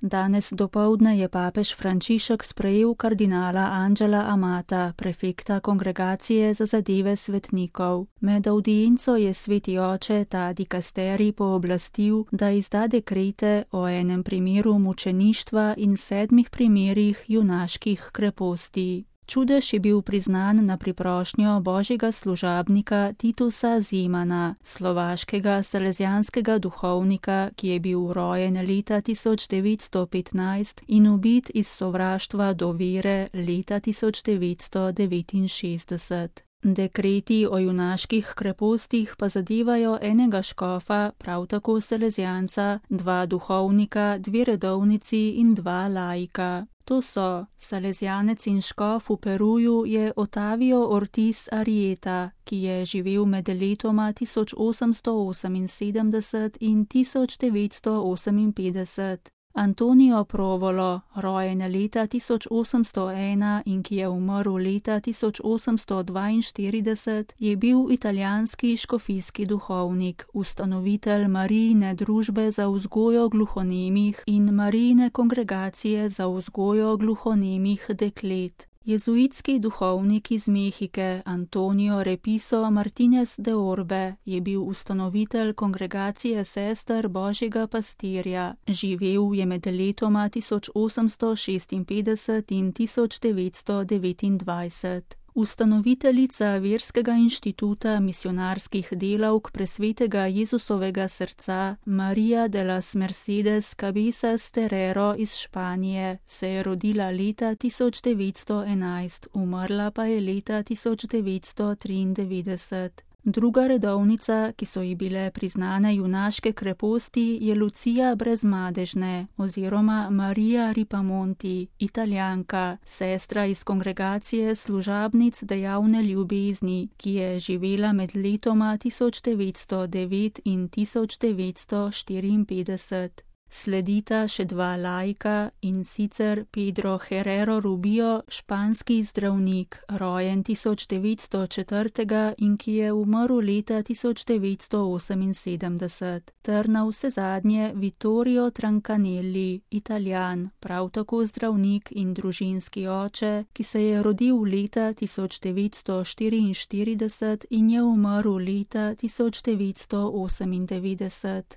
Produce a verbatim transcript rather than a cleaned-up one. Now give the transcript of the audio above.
Danes dopoldne je papež Frančišek sprejel kardinala Anđela Amata, prefekta Kongregacije za zadeve svetnikov. Med avdienco je sveti oče ta dikasterij pooblastil, da izda dekrete o enem primeru mučeništva in sedmih primerih junaških kreposti. Čudež je bil priznan na priprošnjo božjega služabnika Titusa Zimana, slovaškega salezjanskega duhovnika, ki je bil rojen leta tisoč devetsto petnajst in ubit iz sovraštva do vere leta tisoč devetsto devetinšestdeset. Dekreti o junaških krepostih pa zadevajo enega škofa, prav tako salezjanca, dva duhovnika, dve redovnici in dva laika. To so salezjanec in škof v Peruju je Otavio Ortiz Arrieta, ki je živel med letoma tisoč osemsto oseminsedemdeset in tisoč devetsto oseminpetdeset. Antonio Provolo, rojen leta tisoč osemsto ena in ki je umrl leta tisoč osemsto dvainštirideset, je bil italijanski škofijski duhovnik, ustanovitelj Marijine družbe za vzgojo gluhonemih in Marijine kongregacije za vzgojo gluhonemih deklet. Jezuitski duhovnik iz Mehike Antonio Repiso Martinez de Orbe je bil ustanovitelj kongregacije sester Božjega pastirja. Živel je med letoma tisoč osemsto šestinpetdeset in tisoč devetsto devetindvajset. Ustanoviteljica Verskega inštituta misionarskih delavk Presvetega Jezusovega srca María de las Mercedes Cabezas Terrero iz Španije se je rodila leta tisoč devetsto enajst, umrla pa je leta tisoč devetsto triindevetdeset. Druga redovnica, ki so ji bile priznane junaške kreposti, je Lucija Brezmadežne oziroma Marija Ripamonti, Italijanka, sestra iz kongregacije služabnic dejavne ljubezni, ki je živela med letoma tisoč devetsto devet in tisoč devetsto štiriinpetdeset. Sledita še dva laika, in sicer Pedro Herrero Rubio, španski zdravnik, rojen tisoč devetsto četrtega in ki je umrl leta tisoč devetsto oseminsedemdeset, ter navsezadnje Vittorio Trancanelli, Italijan, prav tako zdravnik in družinski oče, ki se je rodil leta tisoč devetsto štiriinštirideset in je umrl leta tisoč devetsto osemindevetdeset.